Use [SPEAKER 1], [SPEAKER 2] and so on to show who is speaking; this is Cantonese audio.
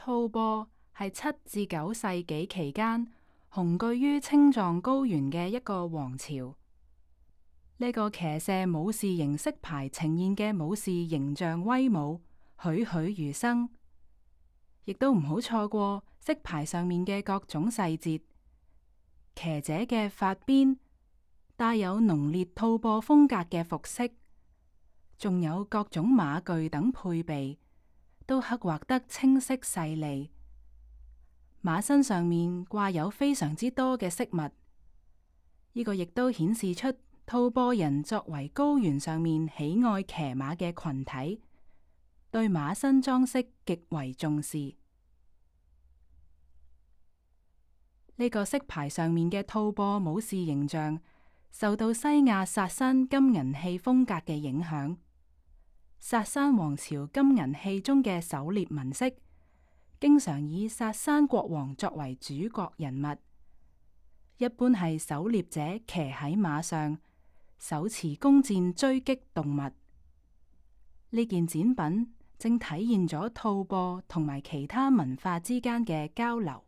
[SPEAKER 1] 吐蕃係7至9世紀期間雄踞於青藏高原嘅一個王朝。呢個騎射武士形色牌呈現嘅武士形象威武，栩栩如生。亦都唔好錯過色牌上面嘅各種細節，騎者嘅髮邊帶有濃烈吐蕃風格嘅服飾，仲有各種馬具等配備，都刻畫得清晰細膩。馬身上面掛有非常之多嘅飾物，呢個亦都顯示出吐蕃人作為高原上面喜愛騎馬嘅群體，對馬身裝飾極為重視。呢個色牌上面嘅吐蕃武士形象，受到西亞薩珊金銀器風格嘅影響。薩珊王朝金銀器中嘅狩獵紋飾，經常以薩珊國王作為主角人物，一般係狩獵者騎喺馬上，手持弓箭追擊動物。呢件展品正體現咗吐蕃同埋其他文化之間嘅交流。